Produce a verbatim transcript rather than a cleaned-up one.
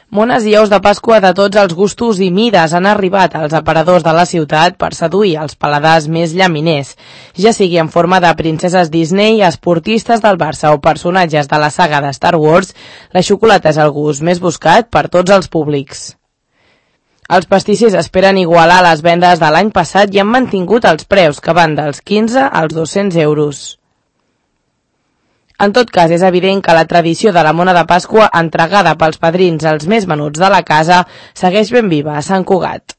Mones i ous de Pasqua de tots els gustos i mides han arribat als aparadors de la ciutat per seduir els paladars més llaminers, ja sigui en forma de princeses Disney, esportistes del Barça o personatges de la saga de Star Wars. La xocolata és el gust més buscat per tots els públics. Els pastissers esperen igualar les vendes de l'any passat i han mantingut els preus, que van dels quinze als dos-cents euros. En tot cas, és evident que la tradició de la mona de Pasqua, entregada pels padrins als més menuts de la casa, segueix ben viva a Sant Cugat.